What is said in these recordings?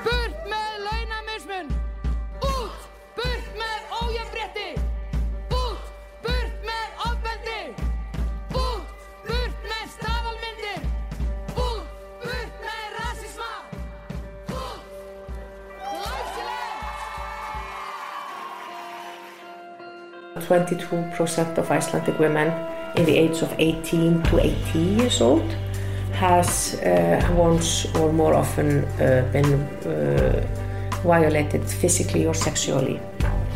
Burt með launamismun! Út! Burt með ójafnrétti! Út! Burt með ofbeldi! Út! Burt með staðalmyndir! Út! Burt með rasisma! Út! Glæsilegt! 22% of Icelandic women in the age of 18 to 80 years old has once or more often been violated physically or sexually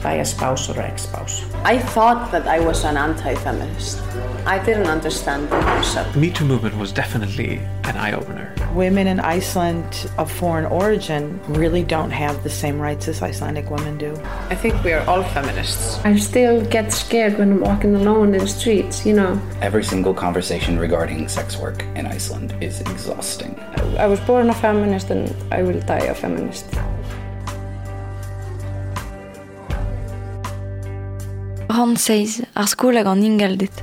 by a spouse or ex-spouse. I thought that I was an anti-feminist. I didn't understand the concept. The Me Too movement was definitely an eye-opener. Women in Iceland of foreign origin really don't have the same rights as Icelandic women do. I think we are all feminists. I still get scared when I'm walking alone in the streets, you know. Every single conversation regarding sex work in Iceland is exhausting. I was born a feminist and I will die a feminist. Rann seizh, ar skol hag an ingalded.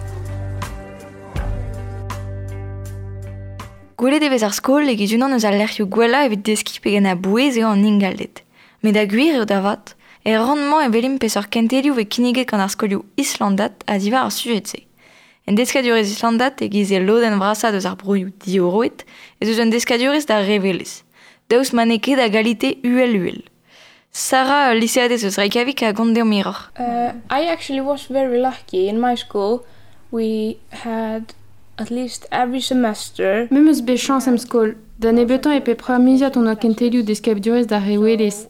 Gwelet e vez ar skol e-giz unan eus al lec'hioù gwellañ evit deskiñ pegen a-bouez eo an ingalded. Met da gwir eo da vat, er rann-mañ e welimp peseurt kentelioù vez kinniget gant ar skolioù islandat a ziwar ar sujed-se. En deskadurezh islandat e-giz e lodenn vrasañ deus ar broioù diorroet ez eus un deskadurezh d'ar revelezh. Daoust ma n'eo ket a galite uhel-uhel. Sarah, liseadez eus Reykjavik a gont deomp hiroc'h. I actually was very lucky. In my school we had at least every semester. Me 'm eus bet chañs em skol. Da nebeutañ e pep miziad on oa kentelioù deskadurezh d'ar revelezh.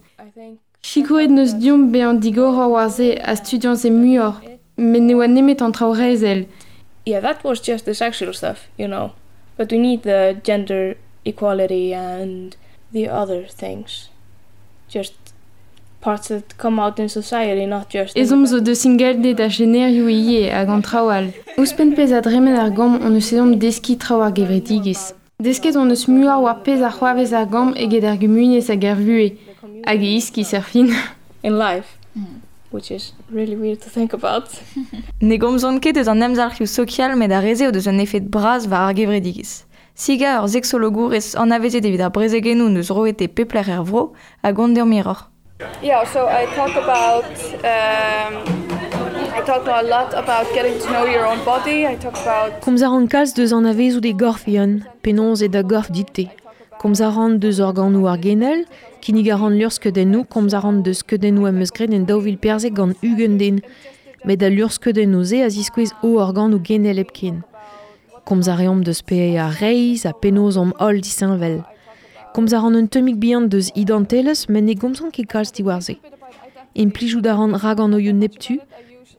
Sikouret n'eus deomp bezañ digoroc'h war se ha studiañ se muioc'h, met ne oa nemet an traoù reizhel. Yeah, that was just the sexual stuff, you know. But we need the gender equality and the other things. Just parts that come out in society, not just... Ezhomm zo deus ingalded ha jenerioù ivez hag an traoù all. Ouzhpenn pezh a dremen ar gambr hon eus ezhomm deskiñ traoù ar gevredigezh. Desket hon eus muioc'h war pezh a c'hoarvez ar gambr eget ar gumuniezh hag ar vuhez, hag e iskis er fin. In life, which is really weird to think about. Ne gomzont ket eus an emzalc'hioù sokial met ar re-se o deus un efed bras war ar gevredigezh. Siga ur seksologourez anavezet evit ar brezegennoù n'eus roet e pep lec'h er vro a gont deomp hiroc'h. Yeah, so I talk about I talk a lot about getting to know your own body. I talk about Komz a ran kalz deus anavezout e gorf e-un, penaos eo da gorf dit-te. Komz a ran deus organoù ar genel, kinnig a ran luc'hskeudennoù, komz a ran deus skeudennoù am eus graet en 2014 gant ugent den. Met al luc'hskeudennoù-se a ziskouez o organoù genel hepken. Komz a reomp deus pe ar reizh ha penaos omp holl disheñvel. Komz a ran un tammig bihan deus identelezh, met ne gomzan ket kalz diwar-se. Implijout a ran raganoioù neptu,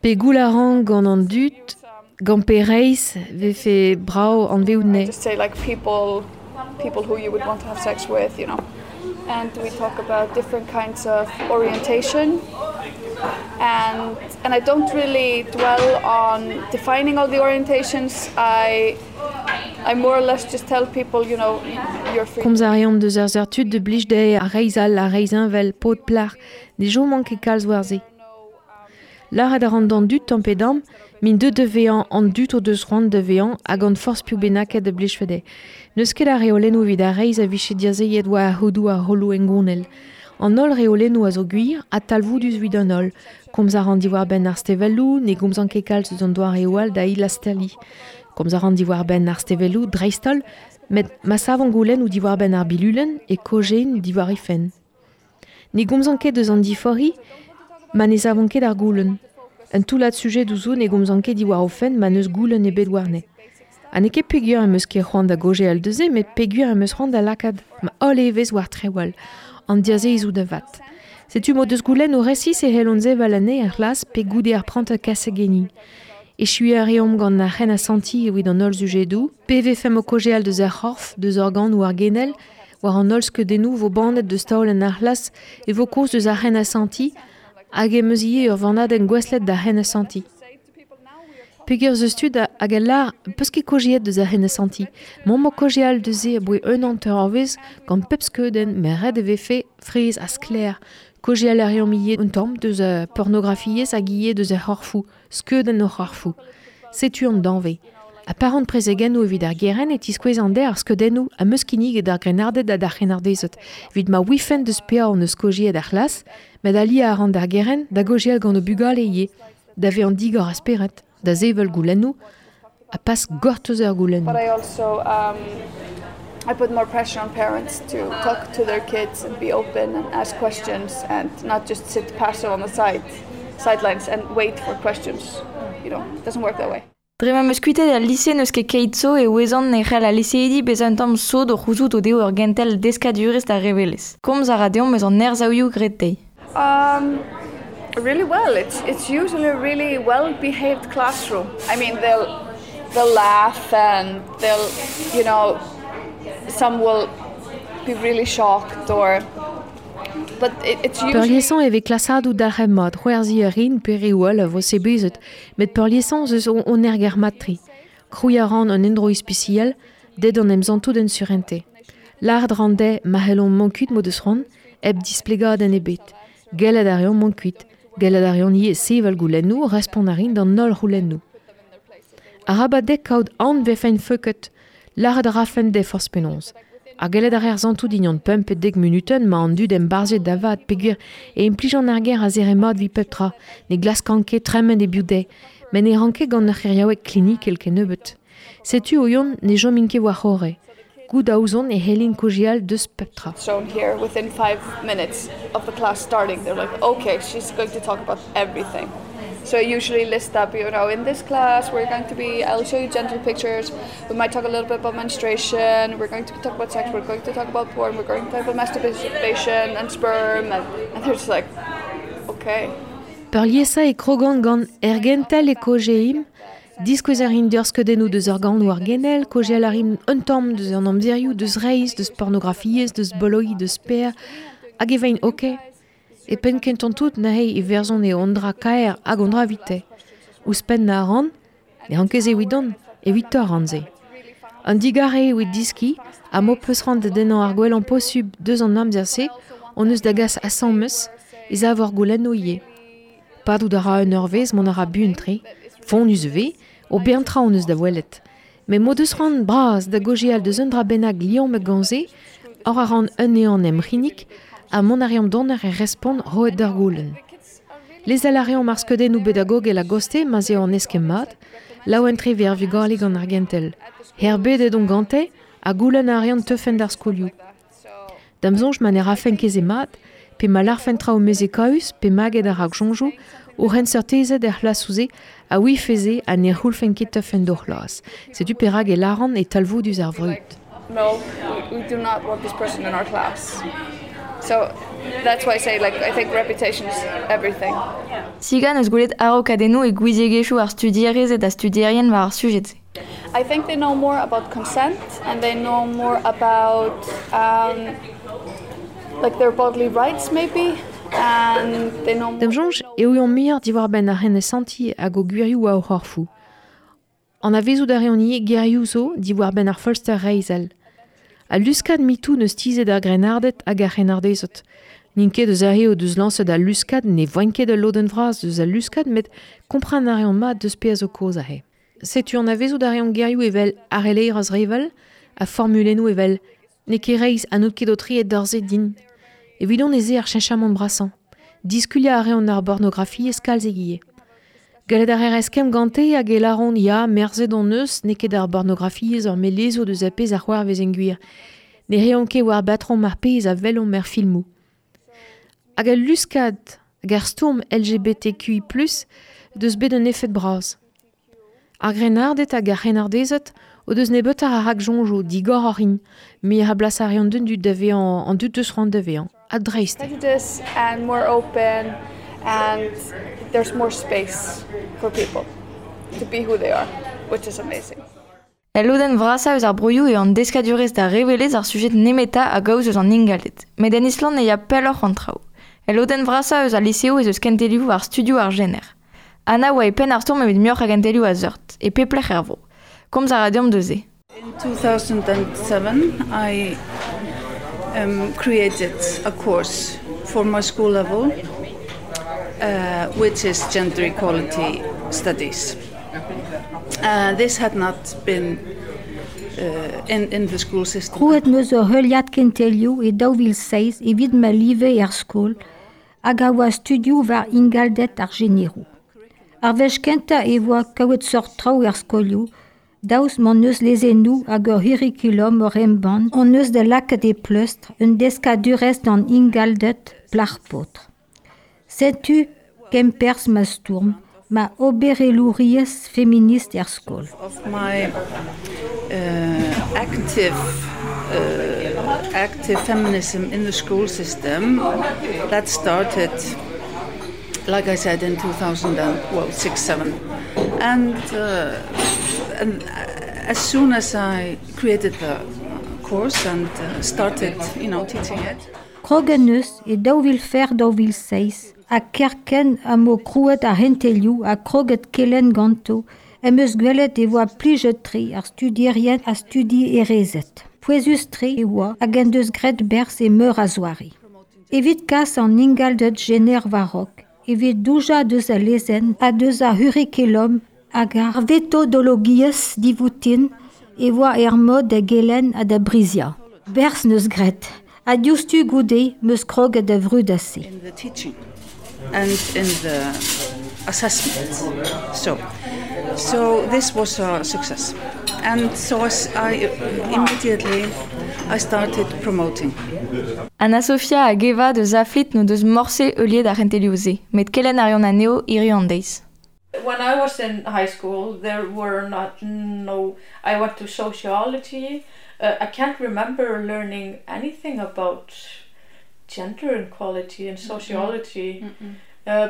pe goul a ran gant an dud, gant pe reizh vefe brav anveout ne. I just say like people who you would want to have sex with, you know. And we talk about different kinds of orientation. And I don't really dwell on defining all the orientations. I more or less just tell people, you know, you're free. Komz a reomp deus ar seurt tud de blij dezhe ar reizh all, ar reizh heñvel, paotr plac'h, ne chomont ket kalz war se. Lâret a ran d'an dud tamm pe damm, min deut da vezañ an dud o deus c'hoant da vezañ hag an forzh piv bennaket da blijfe dezhe. N'eus ket a reolennoù evit ar reizh a vije diazeet war ar c'hodoù ar rolloù hengounel. An holl reolennoù a zo gwir ha talvoudus evit an holl. Komz a ran diwar-benn ar stevelloù, ne gomzan ket kalz eus an doareoù all da hilastaliñ. Komz a ran diwar-benn ar stevelloù dreist-holl, met ma savan goulenn ou diwar-benn ar bilulenn e kojein diwar he fenn. Ne gomzan ket eus an diforc'hiñ, ma ne savan ket ar goulenn. Un toullad sujedoù zo ne gomzan ket diwar o fenn ma n'eus goulenn ebet warne. Ha n'eo ket peogwir em eus ket c'hoant da gaozeal deus se, met peogwir em eus c'hoant da lakaat ma holl evezh war traoù all, an diazezoù da vat. Setu m'o deus goulenn o resis e c'hellont sevel anezhe er c'hlas pe goude ar prantad kasegeniñ. Echuiñ a reomp gant ar c'hen asantiñ evit an holl sujedoù, pe vefemp o kaozeal deus ar c'horf, deus organoù ar genel, war an holl skeudennoù vo bannet deus taolenn ar c'hlas e vo kaoz deus ar c'hen asantiñ hag em eus ivez ur vannadenn gouestlet d'ar c'hen asantiñ. Peogwir eus tud hag a lâr peus ket kaozeet deus ar c'hen asantiñ. M'omp o kaozeal deus se aboe un hanter eurvezh gant pep skeudenn, met ret e vefe fraezh ha sklaer. Kaozeal a reomp ivez un tamm deus ar pornografiezh hag ivez deus ar c'horfoù, skeudenn o c'horfoù. Setu an danvez. A pa ran prezegennoù evit ar gerent e tiskouezan dezhe ar skeudennoù am eus kinniget d'ar grennarded ha d'ar c'hrennardezed evit ma ouifent deus petra hon eus kaozeet er c'hlas, met aliañ a ran d'ar gerent da gaozeal gant o bugale ivez, da vezañ digor a spered, da sevel goulennoù ha pas gortoz ar goulennoù. But I also um, I put more pressure on parents to talk to their kids and be open and ask questions and not just sit passive on the side sidelines and wait for questions. You know, it doesn't work that way. Dre ma 'm eus kuitaet al lise n'eus ket keit zo e ouezan e c'hell al liseidi bezañ un tamm sot o c'houzout o deo ur gentel deskadurezh d'ar revelezh. Komz a ra deomp eus an ersaouioù graet dezhi. Um, really well. It's it's usually a really well-behaved classroom. I mean, they'll they'll laugh and they'll, you know, some will be really shocked or but it, it's usually Peurliesañ e vez klasadoù dalc'het mat, c'hoarzhiñ a rin pe reoù all a vo sebezet, met peurliesañ ez eus on erger mat-tre. Krouiñ a ran un endro ispisial, dezhe d'an em santout en surentez. Lâret 'ran dezhe ma c'hellont mont kuit m'o deus c'hoant, hep displegadenn ebet. Gellet a reont mont kuit, gellet a reont ivez sevel goulennoù, respont a rin d'an holl c'houlennoù. Arabat dezhe kaout aon 'vefent feuket, lâret a rafen dezhe forzh penaos. Ha gellet a reer santout dignon pemp pe dek munutenn ma an dud embarzhet da vat peogwir e implijan ar ger a zere mat evit pep tra, ne glaskan ket tremen e-biou dezhe, met ne ran ket gant ur c'heriaoueg klinikel kennebeut. Setu o yon ne chomin ket war-c'horre. Goût a ouzon e c'hellin kaozeal deus pep tra. Shown here within 5 minutes of the class starting. They're like, okay, she's going to talk about everything. So I usually list up, in this class we're going to be, I'll show you gentle pictures, we might talk a little bit about menstruation, we're going to talk about sex, we're going to talk about porn, we're going to talk about masturbation and sperm, and they're just like, okay. Peurliesañ e krogan gant er gentel e kaozeimp, diskouez a rin deoc'h skeudennoù deus organoù ar genel, kaozeal a rin un tamm deus an amzerioù, deus reizh, deus pornografiezh, deus boloiñ, deus per, hag e veint ok. E penn kentañ tout neuze e verzont eo an dra kaer hag an dra evite. Ouzhpenn a ran, ne ran ket se evidon, evitoc'h a ran se. An digarez eo evit deskiñ ha m'ho peus c'hoant da dennañ ar gwellañ posubl deus an amzer-se hon eus da gas asambles ez a war goulennoù ivez. Padout a ra un eurvezh mont a ra buan-tre, fonnus e vez, ober tra hon eus da welet. Met m'o deus c'hoant bras da gaozeal deus un dra bennak liammet gant se, oc'h a ran un ehan em c'hinnig ha mont a reomp donner e respont roet d'ar goulenn. Lezel a reomp ar skeudennoù pedagogel a-gostez ma'z eo an eskemm mat, laouen-tre 'vez ar vugale gant ar gentel. Erbedet on gante ha goulenn a reont teufent d'ar skolioù. Da'm soñj ma ne rafen ket se mat, pe ma lârfen traoù mezhekaus pe maget ar raksoñjoù, o c'henseurtezed er c'hlasoù-se a ouife se ha ne c'houllfent ket teufent d'o c'hlas. Setu perak e lâran e talvoudus ar vrud. No, we do not want this person in our class. So that's why I say like I think reputation is everything. Siga 'neus gwelet araokadennoù e gouiziegezhioù ar studierezed ha studierien war ar sujed-se. I think they know more about consent and they know more about um, like their bodily rights maybe and they know Da'm soñj e ouiont muioc'h diwar-benn ar c'henesantiñ hag o gwirioù war o c'horfoù. Anavezout a reont ivez gerioù zo diwar-benn ar feulster reizhel. Al luskad MeToo 'neus tizhet ar grennarded hag ar c'hrennardezed. N'int ket eus ar re o deus lañset al luskad, ne voent ket ul lodenn vras deus al luskad met kompren a reont mat deus pezh zo kaoz aze. Setu anavezout a reont gerioù evel harellerezh revel ha formulennoù evel n'eo ket reizh ha n'out ket aotreet d'ober se din. Evidon ez eo ar cheñchamant brasañ. Diskuliañ a reont ar bornografiezh kalz ivez. Gallet a reer eskemm gante hag e lâront ya, merzet hon eus, n'eo ket ar bornografiezh ur melezour deus ar pezh a c'hoarvez en gwir. Ne reont ket war batrom ar pezh a welomp er filmoù. Hag al luskad hag ar stourm LGBTQI+, deus bet un efed bras. Ar grennarded hag ar c'hrennardezed o deus nebeutoc'h a raksoñjoù digoroc'h int, muioc'h a blas a reont d'an dud da vezañ an dud deus c'hoant da vezañ, ha dreist. Prejudice and more open and there's more space for people to be who they are, which is amazing. El lodenn vrasañ eus ar broioù eo an deskadurezh d'ar revelezh ar sujed nemetañ a gaoz eus an ingalded. Met en Island e ya pelloc'h an traoù. El lodenn vrasañ eus al liseoù ez eus kentelioù war studioù ar jener. Anna oa e penn ar stourm evit muioc'h a gentelioù a seurt, e pep lec'h er vro. Komz a ra deomp deus se. In 2007, I created a course for my school level, which is gender equality studies. This had not been in, in the school system. Krouet 'm eus ur heuliad kentelioù e 2007 evit ma live er skol hag a oa studioù war ingalded ar jeneroù. Ar wech kentañ e oa kaout seurt traoù er skolioù, daoust m'hon eus lezennoù hag ur c'hurrikulum oc'h embann hon eus da lakaat e pleustr un deskadurezh d'an ingalded plac'h-paotr. Setu kemperzh ma stourm, ma oberelouriezh feminist er skol. Of my active active feminism in the school system that started like I said in 2006 7 and and as soon as I created the course and started you know teaching it. Krog en deus e 2004-2007 ha kerkent ha m'o krouet ar c'hentelioù ha kroget kelenn ganto em eus gwelet e oa plijet-tre ar studierien ha studierezed. Pouezus-tre e oa hag en deus graet berzh e meur a zoare. Evit kas an ingalded jener war-raok, evit doujañ deus al lezenn ha deus ar c'hurrikulum hag ar vetodologiezh divoutin e oa er mod da gelenn ha da briziañ. Berzh 'neus graet ha diouzhtu goude 'm eus kroget da vrudañ se. In the teaching and in the assessment. So so this was a success. And so I immediately I started promoting. Anna Sofia hag Eva deus Aflit n'o deus morse heuliet ar c'hentelioù-se, met kelenn a reont anezho hiriv an deiz. When I was in high school there were not no I went to sociology. I can't remember learning anything about gender equality and sociology. Mm -mm.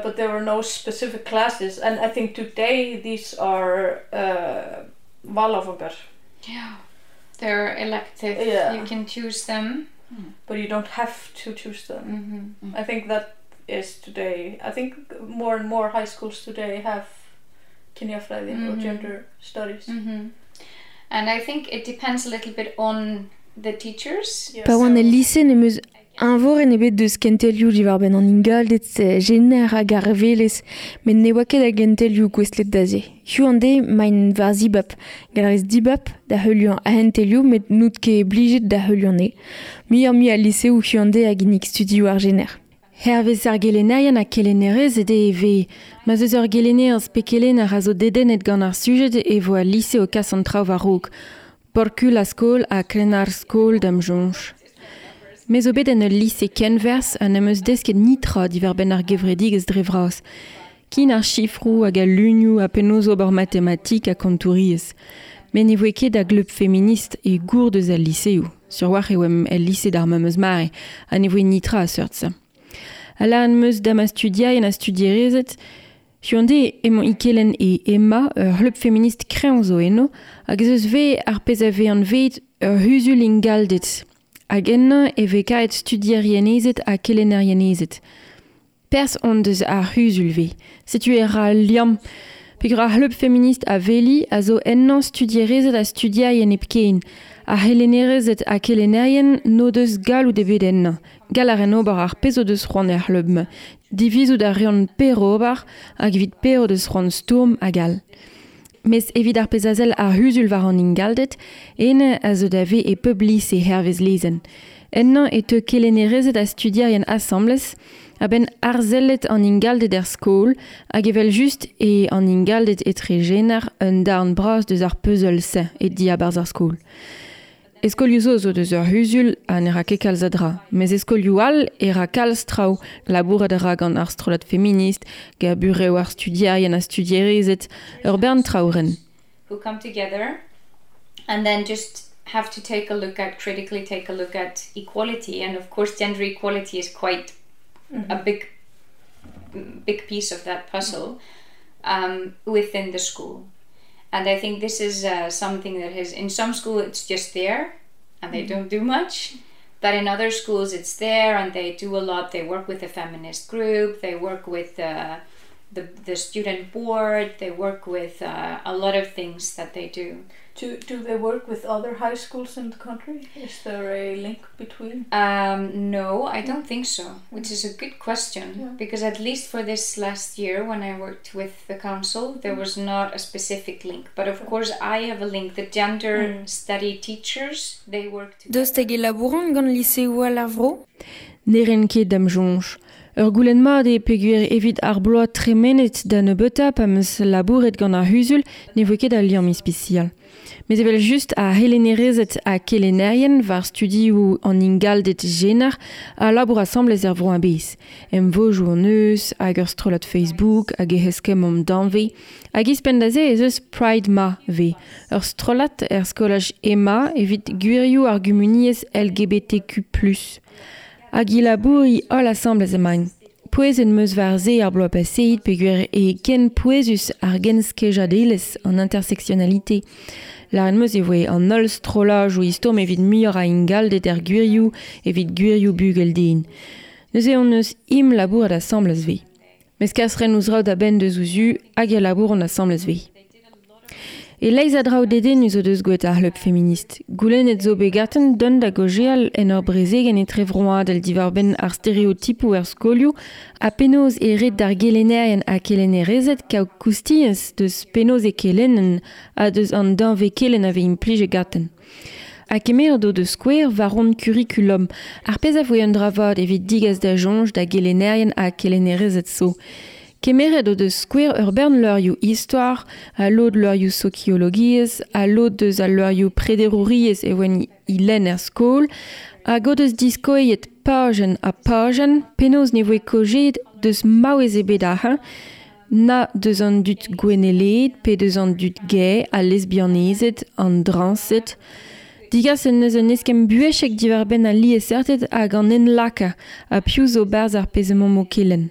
But there were no specific classes and I think today these are valáfangar. Yeah. They're elective. Yeah. You can choose them. But you don't have to choose them. Mm -hmm. I think that is today. I think more and more high schools today have kynjafræði mm -hmm. or gender studies. Mm -hmm. And I think it depends a little bit on the teachers. Pa oan el lise n'em eus eñvorenn ebet deus kentelioù diwar-benn an ingalded jener hag ar revelezh, met ne oa ket a gentelioù gouestlet da se. Hiziv an deiz emaint war zibab. Gall a rez dibab da heuliañ ar c'hentelioù met n'out ket blijet da heuliañ anezhe. Muioc'h-mui a liseoù hiziv an deiz a ginnig studioù ar jener. Hervez ar gelennerien ha kelennerezed eo e vez. Ma 'z eus ur gelennerez pe kelenner a zo dedennet gant ar sujed e vo al lise o kas an traoù war-raok. Porkul a skol ha krenn ar skol da'm soñj. Me zo bet en ul lise kenwerzh ha n'em eus desket netra diwar-benn ar gevredigezh dre vras. Kin ar sifroù hag al lunioù ha penaos ober matematik ha kontouriezh. Met ne voe ket a gleub feminist e gour deus al liseoù. Sur-walc'h e oamp el lise d'ar memes mare ha ne voe netra a seurt-se. Ha lâret 'm eus da ma studierien ha studierezed Hiziv-an-deiz emañ e kelenn e Emma, ur c'hleub feminist kreñv zo eno, hag ez eus vez ar pezh a vez anvet ur c'huzul ingalded. Hag ennañ e vez kaet studierienezed ha kelennerienezed. Perzh on deus ar c'huzul-vez. Setu e ra al liamm. Peogwir ar c'hleub feminist a Veli a zo ennañ studierezed ha studierien hepken. Ar c'helennerezed ha kelennerien n'o deus galloud ebet ennañ. Gall a raent ober ar pezh o deus c'hoant er c'hleub-mañ. Divizout a reont per ober hag evit per o deus c'hoant stourm hag all. Mes evit ar pezh a sell ar c'huzul war an ingalded, ene a zo da vezañ e pep lise hervez lezenn. Ennañ e teu kelennerezed ha studierien asambles a-benn arsellet an ingalded er skol hag evel-just eo an ingalded etre jener un darn bras deus ar puzzle-se e diabarzh ar skol. E skolioù zo zo deus ur c'huzul ha ne ra ket kalz a dra. Mes e skolioù all e ra kalz traoù. Labourat a ra gant ar strollad feminist, gant burev ar studierien ha studierezed, ur bern traoù ren. Who come together and then just have to take a look at critically take a look at equality and of course gender equality is quite mm -hmm. a big big piece of that puzzle um, within the school and I think this is uh, something that has in some school it's just there and they mm -hmm. don't do much but in other schools it's there and they do a lot they work with a feminist group they work with uh, the student board, they work with a lot of things that they do. Do they work with other high schools in the country? Is there a link between? No, I don't think so, which is a good question, because at least for this last year when I worked with the council, there was not a specific link. But of course I have a link. The gender study teachers, they work together. Daoust hag e labouront gant liseoù all ar vro? Ne ren ket da'm soñj. Ur goulenn mat eo peogwir evit ar bloaz tremenet da nebeutañ pa 'm eus labouret gant ar c'huzul ne voe ket a liamm ispisial. Met evel-just ar c'helennerezed ha kelennerien war studioù an ingalded jener a labour asambles er vro a-bezh. Emvodoù hon eus, hag ur strollad Facebook, hag e eskemmomp danvez. Hag ouzhpenn da se ez eus Pride Ma 'vez, ur strollad er skolaj Ema evit gwirioù ar gumuniezh LGBTQ+. Hag e labouri holl asambles emaint. Pouezet 'm eus war se ar bloaz paseet peogwir eo ken pouezus ar genskejadelezh an intersectionnalité. Lâret 'm eus e voe an holl strollajoù o stourm evit muioc'h a ingalded er gwirioù evit gwirioù bugel-den. Neuze hon eus im labourat asambles 'vez. Mes kas 'raent o zraoù da benn deus o zu hag e labouront asambles 'vez. E-leizh a draoù dedennus o deus gwelet ar c'hleub feminist. Goulennet zo bet ganten dont da gaozeal en ur brezegenn etrevroadel diwar-benn ar stereotipoù er skolioù ha penaos e ret d'ar gelennerien ha kelennerezed kaout koustiañs deus penaos e kelennent ha deus an danvez kelenn a vez implijet ganten. Ha kemeret o deus skouer war hon kurikulum, ar pezh a voe un dra vat evit digas da soñj da gelennerien ha kelennerezed zo. Kemeret o deus skouer ur bern levrioù istor, ha lod levrioù sokiologiezh, ha lod deus al levrioù prederouriezh e oant i lenn er skol, hag o deus diskouezet pajenn ha pajenn penaos ne voe kaozeet deus maouez ebet ac'hann, na deus an dud gouennelaet pe deus an dud gay, al lesbianezed, an drañsed. Digas en deus un eskemm buhezek diwar-benn al liesseurted hag an enlakañ ha piv zo 'barzh ar pezh emaomp o kelenn.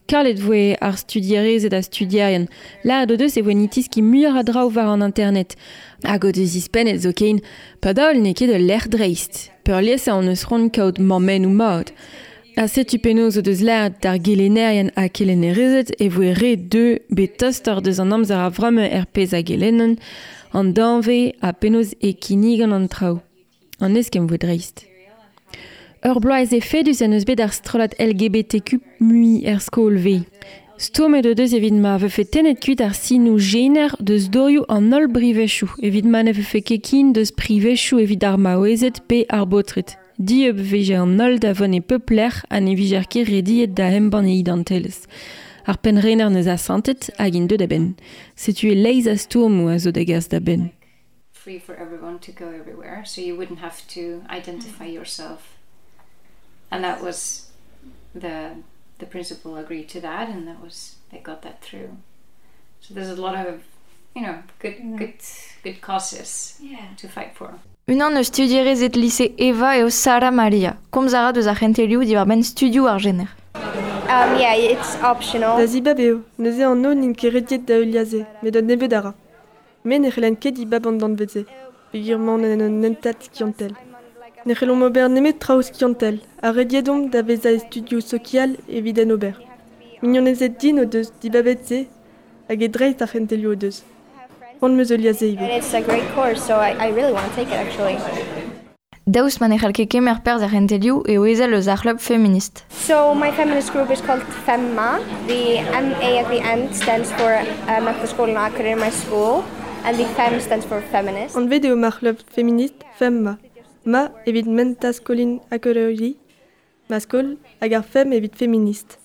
Kalet voe ar studierezed ha studierien. Lâret o deus e voent o teskiñ muioc'h a draoù war an internet. Hag o deus izhpennet zoken, padal n'eo ket ul lec'h dreist. Peurliesañ hon eus c'hoant kaout mammennoù mat. Ha setu penaos o deus lâret d'ar gelennerien ha kelennerezed e voe ret dezhe bet tostoc'h deus an amzer a-vremañ er pezh a gelennont, an danvez ha penaos e kinnigont an traoù. An eskemm voe dreist. Ur bloaz efedus en deus bet ar strollad LGBTQ mui er skol 'vez. Stourmet o deus evit ma vefe tennet kuit ar sinoù jener deus dorioù an holl brivezioù evit ma ne vefe ket ken deus privezioù evit ar maouezed pe ar baotred. Dieub 'vije an holl da vont e pep lec'h ha ne vijer ket rediet da embann e identelezh. Ar pennrener 'neus asantet hag int deuet a-benn. Setu e-leizh a stourmoù a zo da gas da benn. Free for everyone to go everywhere, so you wouldn't have to identify yourself. And that was the principal agreed to that, and that was they got that through. So there's a lot of good causes to fight for. Unan eus studierezed lise Eva eo Sara Maria. Komz a ra deus ar c'hentelioù diwar-benn studioù ar jener. Yeah, it's optional. Da zibab eo, neuze an holl n'int ket rediet da heuliañ se, met un nebeud a ra. Me ne c'hallan ket dibab an danvez-se, peogwir emaon en un hentad skiantel. Ne c'hellomp ober nemet traoù skiantel, ha rediet omp da vezañ e studioù sokial evit en ober. Mignonezed din o deus dibabet se hag e dreist ar c'hentelioù o deus. C'hoant 'm eus heuliañ se ivez. And it's a great course, so I really want to take it actually. Daoust ma ne c'hall ket kemer perzh er c'hentelioù eo ezel eus ar c'hleub feminist. So my feminist group is called FEMMA. The MA at the end stands for Menntaskólinn á Akureyri, my school, and the FEM stands for feminist. Anvet eo ma c'hleub feminist FEMMA. Ma evit Menntaskólinn Akureyri, ma skol, hag ar FEM evit feminist.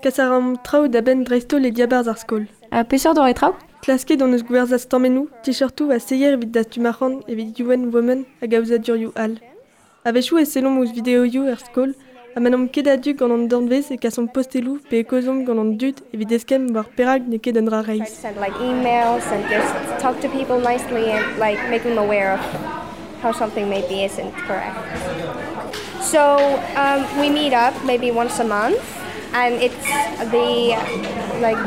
Kas a raomp traoù da benn dreist-holl e diabarzh ar skol. Ha peseurt doare traoù? Klasket hon eus gwerzhañ stammennoù, t-shirtoù ha seier evit dastum arc'hant evit UN Women hag aozadurioù all. A-wechoù e sellomp ouzh videoioù er skol ha ma n'omp ket a-du gant an danvez e kasomp posteloù pe e kaozeomp gant an dud evit eskemm war perak n'eo ket un dra Try to reizh. send like emails and just talk to people nicely and like make them aware of how something maybe isn't correct. So we meet up maybe once a month and it's the like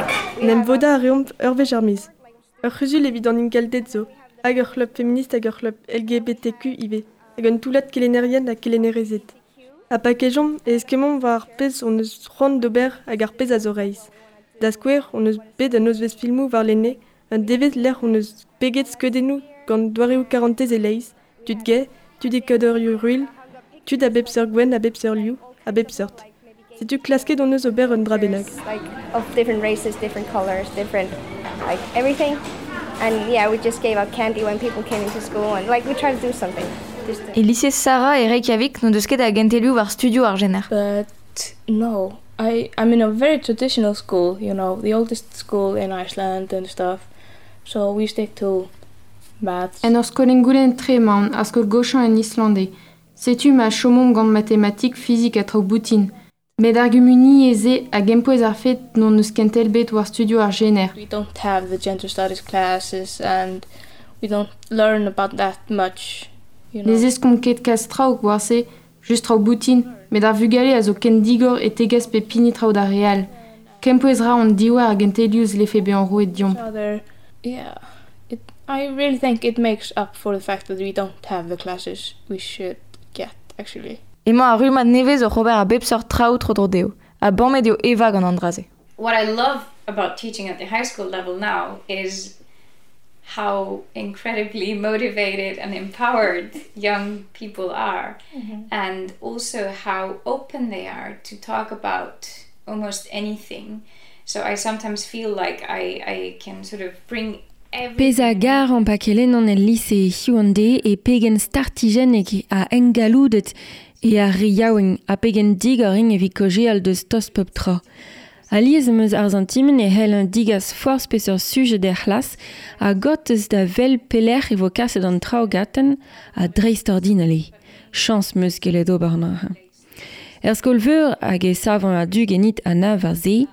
En em vodañ a reomp ur wech ar miz. Ur c'huzul evit an ingalded zo, hag ur c'hleub feminist hag ur c'hleub LGBTQ ivez, hag un toullad kelennerien ha kelennerezed. Ha pa kejomp e eskemmomp war ar pezh hon eus c'hoant d'ober hag ar pezh a zo reizh. Da skouer hon eus bet un nozvezh filmoù warlene, un devezh lec'h hon eus peget skeudennoù gant doareoù karantez e-leizh, tud gay, tud e kadorioù ruilh, tud a bep seurt gouenn a bep seurt liv, a bep seurt. Setu klasket hon eus ober un dra bennak. Like of different races, different colors, different like everything. And yeah, we just gave out candy when people came into school and like we tried to do something. E lise Sarah e Reykjavik n'o deus ket a gentelioù war studioù ar jener. But no, I'm in a very traditional school, the oldest school in Iceland and stuff. So we stick to maths. En ur skol engoulenn-tre emaon, ar skol goshañ en Island eo. Setu ma chomomp gant matematik, fizik ha traoù boutin. Met ar gumuniezh-se a gempouez ar fed n'hon eus kentel bet war studioù ar jener. We don't have the gender studies classes and we don't learn about that much, you know. Ne zeskomp ket kalz traoù war se, just traoù boutin, met ar vugale a zo ken digor e tegas pep hini traoù d'ar re all. Kempouez 'ra hon diouer a gentelioù 'zlefe bezañ roet deomp. Yeah, I really think it makes up for the fact that we don't have the classes we should get, actually. Emañ ar rummad nevez oc'h ober a bep seurt traoù tro-dro dezho, ha bamet eo Eva gant an dra-se. What I love about teaching at the high school level now is how incredibly motivated and empowered young people are, and also how open they are to talk about almost anything. So I sometimes feel like I can sort of bring Pezh a garan pa kelennan el lise hiziv an deiz eo pegen startijennek ha engalloudet eo ar re yaouank ha pegen digor int evit kaozeal deus tost pep tra. Alies em eus ar santimant e c'hell degas forzh peseurt sujed er c'hlas ha gortoz da wel pelec'h e vo kaset an traoù gantañ ha dreistordinal eo. Chañs 'm eus gellet ober neuze. Er skol-veur hag e savan a-du ganit Anna war se,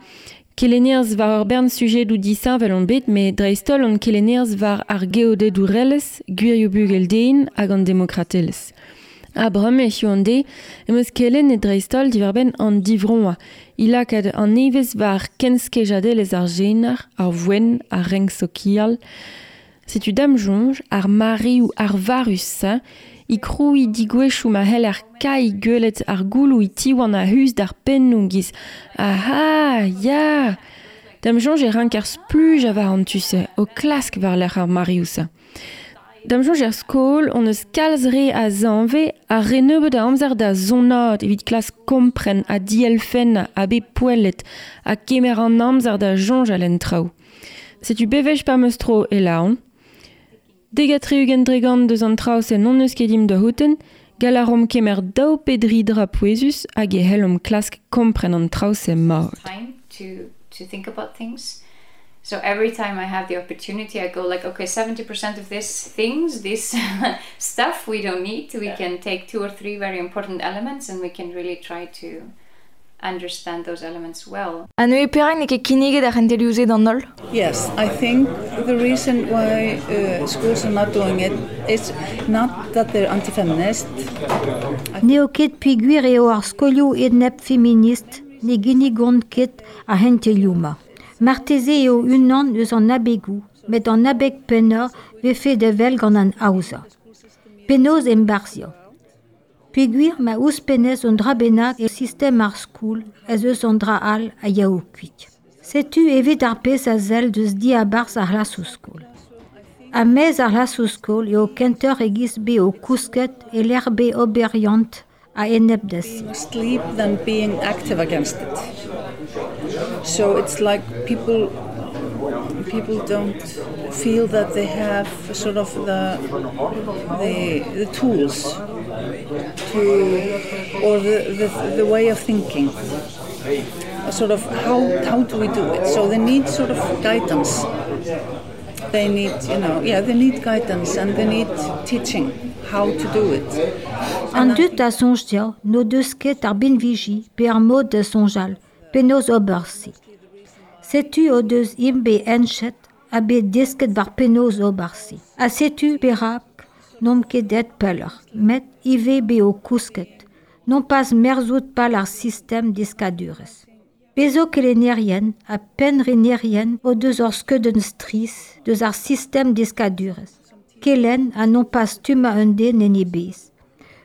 Kelennerez war ur bern sujedoù disheñvel on bet met dreist-holl on kelennerez war ar geodedourelezh, gwirioù bugel-den hag an demokratelezh. Ha bremañ hiziv an deiz em eus kelennet dreist-holl diwar-benn an divroañ, he lakaat an evezh war kenskejadelezh ar jener, ar vouenn, ar renk sokial. Setu da'm soñj ar mareoù arvarus-se e krouiñ degouezhioù ma c'heller kailh gwelet ar gouloù e tiwan a-us d'ar pennoù giz aha ya Da'm soñj e ranker splujañ war an tu-se o klask war-lerc'h ar mareoù-se. Da'm soñj er skol hon eus kalz re a zanvez ha re nebeut a amzer da zonaat evit klask kompren ha dielfennañ ha bet poellet ha kemer an amzer da soñjal en traoù. Setu bewech pa 'm eus tro e lâran. 70% deus an traoù-se n'hon eus ket dimp da c'houlenn, gall a raomp kemer daou pe dri dra pouezus hag e c'hellomp klask kompren an traoù-se mat. Time to think about things. So every time I have the opportunity, I go like, okay, 70% of this things, this stuff we don't need. We can take two or three very important elements and we can really try to understand those elements well. Ha neuze perak n'eo ket kinniget ar c'hentelioù-se d'an holl? Yes, I think the reason why schools are not doing it is not that they're anti-feminist. N'eo ket peogwir eo ar skolioù enep-feminist ne ginnigont ket ar c'hentelioù-mañ. Marteze eo unan eus an abegoù, met an abeg pennañ 'vefe da wel gant an aozañ. Penaos embarzhiañ? Peogwir ma ouzhpennez un dra bennak e sistem ar skol ez eus un dra all a yao kuit. Setu evit ar pezh a sell deus diabarzh ar c'hlasoù-skol. Ha maez ar c'hlasoù-skol eo kentoc'h e-giz bet o kousket e-lec'h bet oberiant a-enep da se. Sleep than being active against it. So it's like people don't feel that they have sort of the tools to or the way of thinking. Sort of how do we do it? So they need sort of guidance. They need, you know, yeah, they need guidance and they need teaching how to do it. An dud a soñj dezho n'o deus ket ar binviji pe ar mod da soñjal, penaos ober se. Setu o deus int bet heñchet ha bet desket war penaos ober se. Ha setu perak n'omp ket aet pelloc'h, met ivez bet o kousket, nompas merzout pal ar sistem deskadurezh. Bez zo kelennerien ha pennrenerien o deus ur skeudenn strizh deus ar sistem deskadurezh. Kelenn ha nompas stummañ un den en e bezh.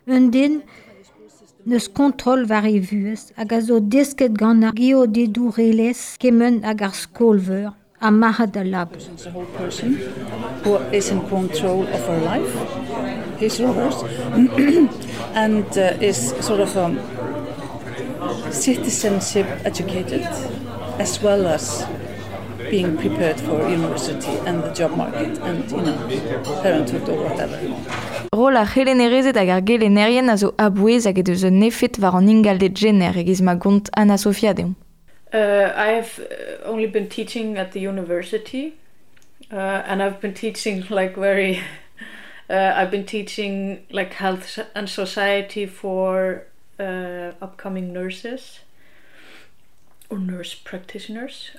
Un den Neus kontrol war e vuhez hag a zo desket gant ar geodedourelezh kement hag ar skol-veur ha marc'had al labour. The whole person who is in control of her life, his or hers, and is sort of citizenship educated as well as being prepared for university and the job market and, parenthood or whatever. Rol ar c'helennerezed hag ar gelennerien a zo a-bouez hag he deus un efed war an ingalded jener e-giz ma gont Anna-Sofia deomp. I have only been teaching at the university, and I've been teaching like very I've been teaching like health and society for upcoming nurses or nurse practitioners,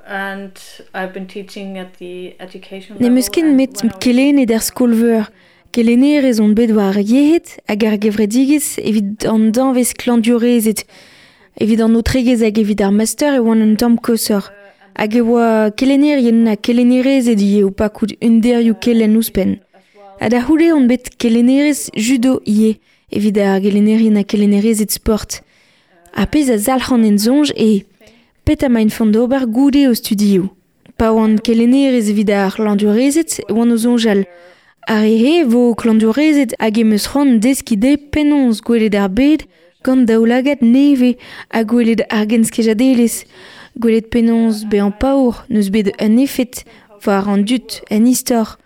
and I've been teaching at the education N'em eus ket met kelennet er skol-veur. Kelennerez on bet war ar yec'hed hag ar gevredigezh evit an danvez klañvdiourezed. Evit an aotregezh hag evit ar master e oan un tamm koshoc'h. Hag e oa kelennerien ha kelennerezed ivez o pakout un derioù kelenn ouzhpenn. Ha da c'houde on bet kelennerez judo ivez evit ar gelennerien ha kelennerezed sport. Ar pezh a zalc'han en soñj eo petra emaint font d'ober goude o studioù. Pa oan kelennerez evit ar c'hlañvdiourezed e oan o soñjal. Ar re-se vo klañvdiourezed hag em eus c'hoant deskiñ dezhe penaos gwelet ar bed gant daoulagad nevez ha gwelet ar genskejadelezh. Gwelet penaos bezañ paour n'eus bet un efed war an dud en istor.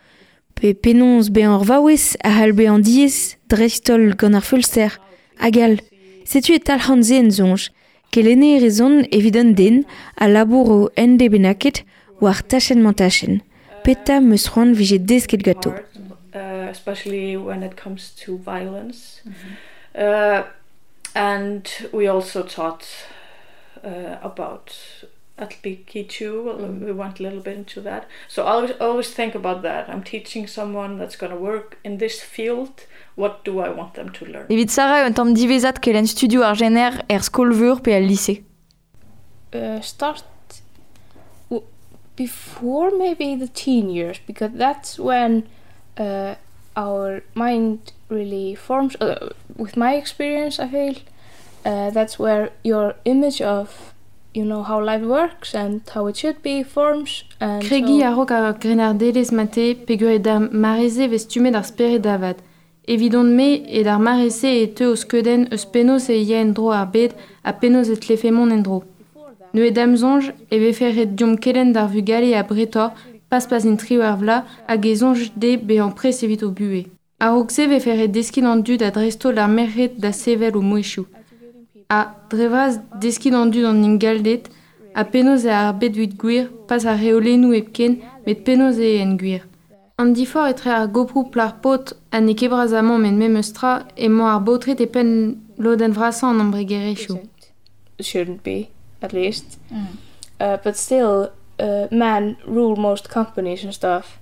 Pe penaos bezañ ur vaouez a c'hall bezañ diaes dreist-holl gant ar feulster. Hag all. Setu e talc'han se en soñj. Kelennerez on evit un den a labouro en de bennaket war tachenn-mañ-tachenn. Petra 'm eus c'hoant 'vije desket ganto. Especially when it comes to violence. And we also taught about LGBTQ. We went a little bit into that. So I always think about that. I'm teaching someone that's going to work in this field. What do I want them to learn? Evit Sarah eo un tamm diwezhat kelenn studioù ar jener er skol-veur pe al lise. Start before maybe the teen years, because that's when our mind really forms. With my experience, I feel that's where your image of how life works and how it should be forms. And Kregiñ so a-raok ar grennardelezh mate peogwir eo d'ar mare-se 'vez stummet ar spered avat. Evidon-me eo d'ar mare-se e teu o skeudenn eus penaos e ya en-dro ar bed ha penaos e tlefe mont en-dro. Neuze da'm soñj e vefe ret deomp kelenn d'ar vugale abretoc'h, pas pa'z int 18 vloaz hag e soñj dezhe bezañ prest evit o buhez. A-raok se e vefe ret deskiñ d'an dud ha dreist-holl ar merc'hed da sevel o mouezhioù. Ha, dre vras, deskiñ d'an dud an ingalded ha penaos eo ar bed evit gwir, pas ar reolennoù hepken, met penaos eo en gwir. An diforc'h etre ar goproù plac'h-paotr ha n'eo ket bras amañ met memes tra emañ ar baotred e penn lodenn vrasañ an embregerezhioù. Shouldn't be, at least. But still, men rule most companies and stuff.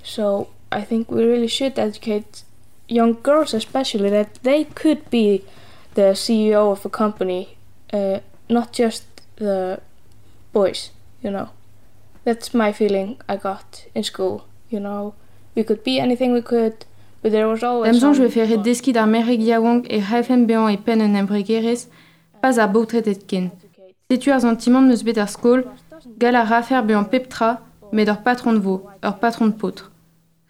So I think we really should educate young girls especially that they could be the CEO of a company, not just the boys. That's my feeling I got in school. We could be anything we could, but there was always Da'm soñj some 'vefe ret deskiñ d'ar merc'hed yaouank e c'hallfent bezañ e penn un embregerezh, pas ar baotred hepken. Setu ar santimant 'm eus bet er skol, gall a rafer bezañ pep tra, met ur patron vo, ur patron paotr.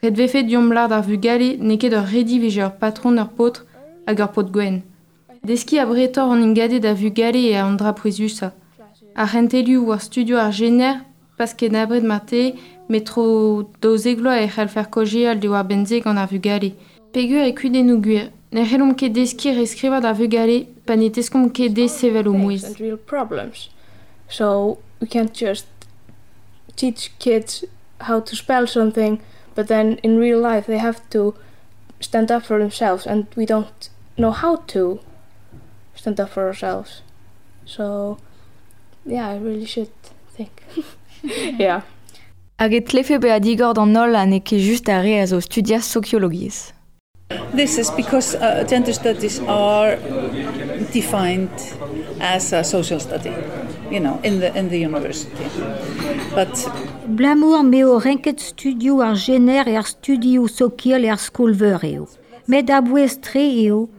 Ret 'vefe deomp lâr d'ar vugale n'eo ket ur redi 'vije ur patron ur paotr hag ur paotr gwenn. Deskiñ abretoc'h an ingalded da vugale eo an dra pouezusañ. Ar c'hentelioù war studioù ar jener, pas ken abred marteze, met tro 12 vloaz e c'hallfer kaozeal diwar-benn se gant ar vugale. Peogwir e kudennoù gwir, ne c'hellomp ket deskiñ reskrivañ d'ar vugale pa ne teskomp ket dezhe sevel o mouezh. And real problems. So we can't just teach kids how to spell something, but then in real life they have to stand up for themselves, and we don't know how to stand up for ourselves. So yeah, I really should think. Yeah. Hag e tlefe bezañ digor d'an holl ha n'eo ket just ar re a zo studiañ sokiologiezh. This is because gender studies are defined as a social study, in the university. But Blamour m'eo renket studioù ar jener er studioù sokial er skol-veur eo. Met a-bouez-tre eo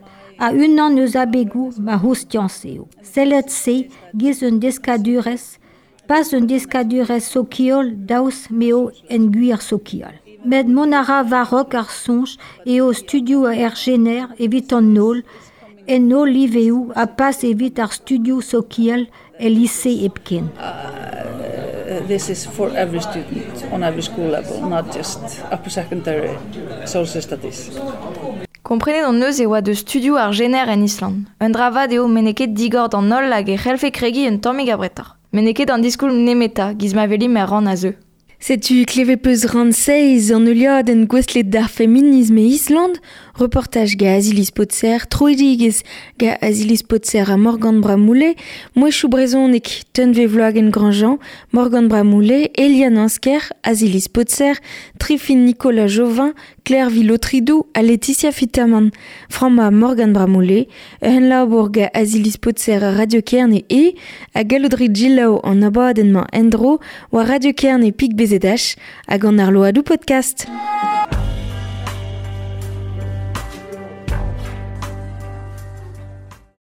A unan eus abegoù ma c'houstiañs eo. Sellet se giz un deskadurezh, pas un deskadurezh sokial daoust m'eo en gwir sokial. Met mont a ra war-raok ar soñj eo studioù ar jener evit an holl, en holl liveoù ha pas evit ar studioù sokial el lise hepken. This is for every student on every school level, not just upper secondary social studies. Komprenet hon eus e oa deus studioù ar jener en Island. Un dra vat eo met n'eo ket digor d'an holl hag e c'hellfe kregiñ un tammig abretoc'h. Met n'eo ket an diskoulm nemetañ, giz ma welimp er rann a zeu. Setu klevet peus rann seizh an heuliadenn gouestlet d'ar feminism e Island, reportaj ga Aziliz Potser, troidigezh ga Aziliz Potser ha Morgan Bramoullé, mouezhioù brezhonek Tunve Vloagen-Grandjean, Morgan Bramoullé, Eliane Ansker, Aziliz Potser, Trifine Nicolas Jovin, Claire Villotridou ha Laetitia Fitaman. Framma Morgan Bramoullé, un labour ga Aziliz Potser ha Radio Kerne e, ha gallout rit jilaou an abadenn-mañ en-dro war Radio Kerne pik BZH hag an arloadoù podcast.